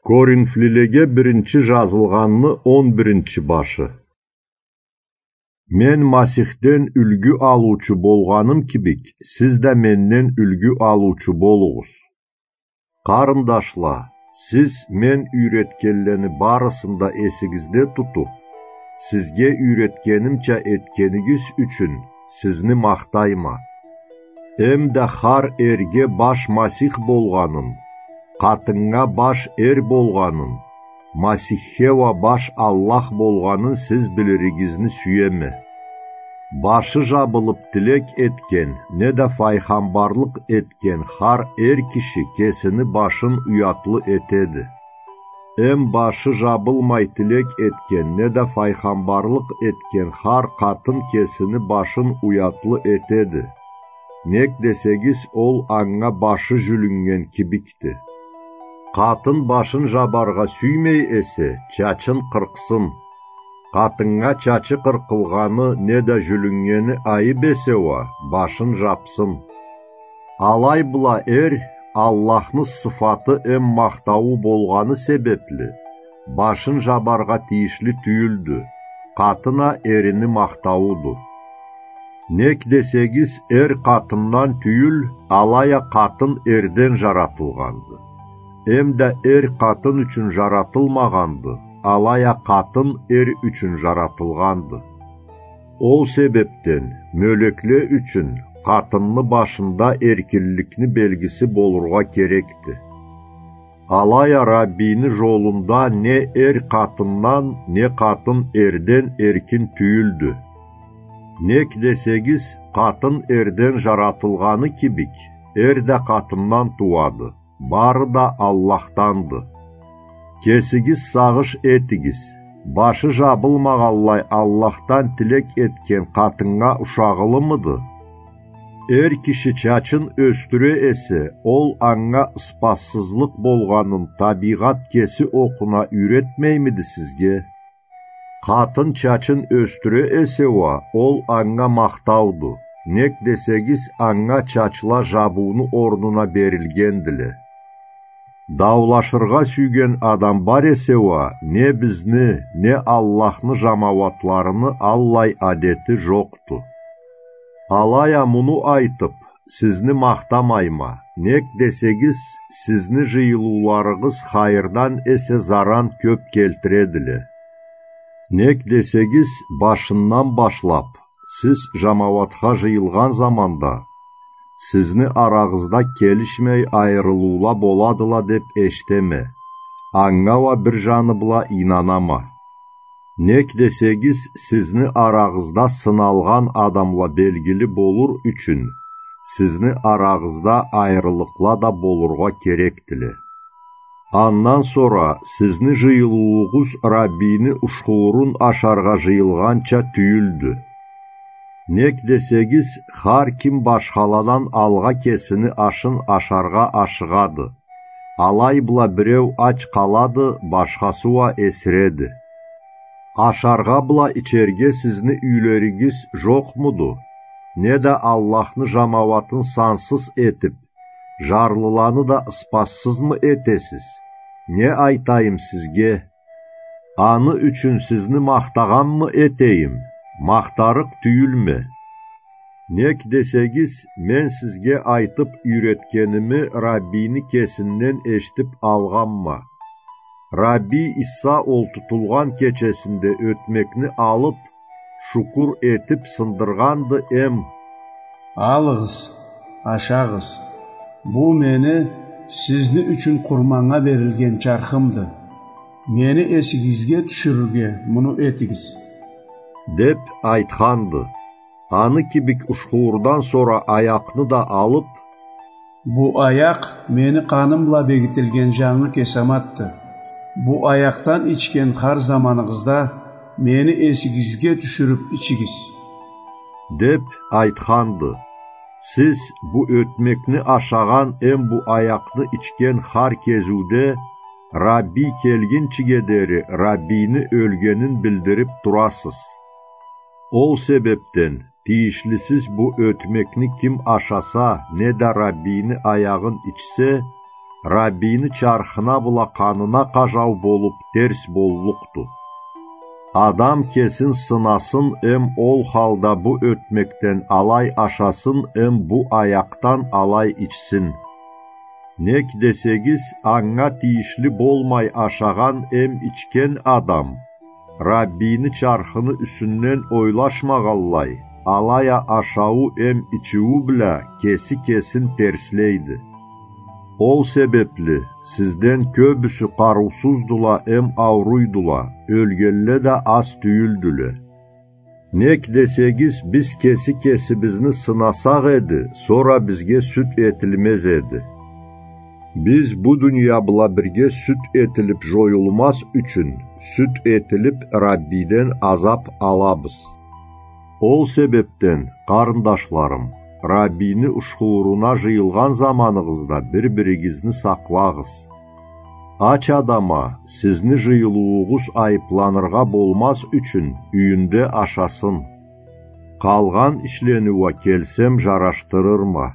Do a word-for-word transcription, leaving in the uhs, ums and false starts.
Коринфлилеге биринчи жазылгъанны он биринчи башы. Мен Масихден юлгю алыучу болгъаным кибик, сиз да менден юлгю алыучу болугъуз. Къарындашла, сиз мен юйретгенлени барысын да эсигизде тутуп, сизге юйретгенимча этгенигиз ючюн сизни махтайма. Эм да хар эрге баш Масих болгъанын, къатыннга баш эр болгъанын, Масихге уа баш Аллах болгъанын сиз билиригизни сюеме. Башы жабылып тилек этген, неда файгъамбарлыкъ этген хар эр киши кесини башын уятлы этеди. Эм башы жабылмай тилек этген, неда файгъамбарлыкъ этген хар къатын кесини башын уятлы этеди. Нек десегиз, ол анга башы жюлюннген кибикди. Къатын башын жабаргъа сюймей эсе, чачын къыркъсын. Къатыннга чачы къыркъылгъаны неда жюлюннгени айып эсе уа, башын жапсын. Алай бла эр Аллахны сыфаты эм махтауу болгъаны себепли, башын жабаргъа тийишли тюйюлдю, къатын а эрини махтаууду. Нек десегиз, эр къатындан тюйюл, алай а къатын эрден жаратылгъанды. Эм да эр къатын ючюн жаратылмагъанды, алай а къатын эр ючюн жаратылгъанды. Ол себепден мёлекле ючюн къатынны башында эркинликни белгиси болургъа керекди. Алай а Раббийни жолунда не эр къатындан, не къатын эрден эркин тюйюлдю. Нек десегиз, къатын эрден жаратылгъаны кибик, эр да къатындан тууады, бары да Аллахданды. Кесигиз сагъыш этигиз, башы жабылмагъанлай Аллахдан тилек этген къатыннга ушагъылымыды? Эр киши чачын ёсдюре эсе, ол анга ыспассызлыкъ болгъанын табийгъат кеси окъуна юйретмеймиди сизге? Къатын чачын ёсдюре эсе уа, ол анга махтауду, нек десегиз, анга чачла жабыуну орнуна берилгендиле. Даулашыргъа сюйген адам бар эсе уа, не бизни, не Аллахны жамауатларыны аллай адети жокъду. Алай а муну айтып, сизни махтамайма, нек десегиз, сизни жыйылыуларыгъыз хайырдан эсе заран кёп келтиредиле. Нек десегиз, башындан башлап, сиз жамауатха жыйылгъан заманда, сизни арагъызда келишмей айырылыула боладыла деп эшитеме, анга уа бир жаны бла ийнанама. Нек десегиз, сизни арагъызда сыналгъан адамла белгили болур ючюн, сизни арагъызда айырылыкъла да болургъа керекдиле. Андан сора сизни жыйылыуугъуз Раббийни ушхуурун ашаргъа жыйылгъанча тюйюлдю. Нек десегиз, хар ким башхаладан алгъа кесини ашын ашаргъа ашыгъады. Алай бла биреу ач къалады, башхасы уа эсиреди. Ашаргъа бла ичерге сизни юйлеригиз жокъмуду? Неда Аллахны жамауатын сансыз этип, жарлыланы да ыспассызмы этесиз? Не айтайым сизге? Аны ючюн сизни махтагъанмы этейим? Махтарыкъ тюйюлме. Нек десегиз, мен сизге айтып юйретгеними Раббийни кесинден эшитип алгъанма. Раббий Иса олтутулгъан кечесинде ётмекни алып, шукур этип сындыргъанды эм: «Алыгъыз, ашагъыз. Бу мени сизни ючюн къурманнга берилген чархымды. Мени эсигизге тюшюрюрге муну этигиз», — деп айтханды. Аны кибик ушхуурдан сора аякъны да алып: «Бу аякъ мени къаным бла бегитилген жангы кесаматды. Бу аякъдан ичген хар заманыгъызда мени эсигизге тюшюрюп ичигиз», — деп айтханды. Сиз бу ётмекни ашагъан эм бу аякъны ичген хар кезиуде, Раббий келгинчиге дери Раббийни ёлгенин билдирип турасыз. Ол себепден тийишлисиз бу ётмекни ким ашаса, неда Раббийни аягъын ичсе, Раббийни чархына бла къанына къажау болуп терс боллукъду. Адам кесин сынасын эм ол халда бу ётмекден алай ашасын эм бу аякъдан алай ичсин. Нек десегиз, анга тийишли болмай ашагъан эм ичген адам Раббийни чархыны юсюнден ойлашмагъанлай, алай а ашауу эм ичиую бла кеси кесин терслейди. Ол себепли сизден кёбюсю къарыусуздула эм ауруйдула, ёлгенле да аз тюйюлдюле. Нек десегиз, биз кеси кесибизни сынасакъ эди, сора бизге сюд этилмез эди. Биз бу дуния бла бирге сюд этилип жоюлмаз ючюн, сюд этилип Раббийден азап алабыз. Ол себепден, къарындашларым, Раббийни ушхуууруна жыйылгъан заманыгъызда бир-биригизни сакълагъыз. Ач адам а сизни жыйылыуугъуз айыпланыргъа болмаз ючюн юйюнде ашасын. Къалгъан ишлени уа келсем жарашдырырма.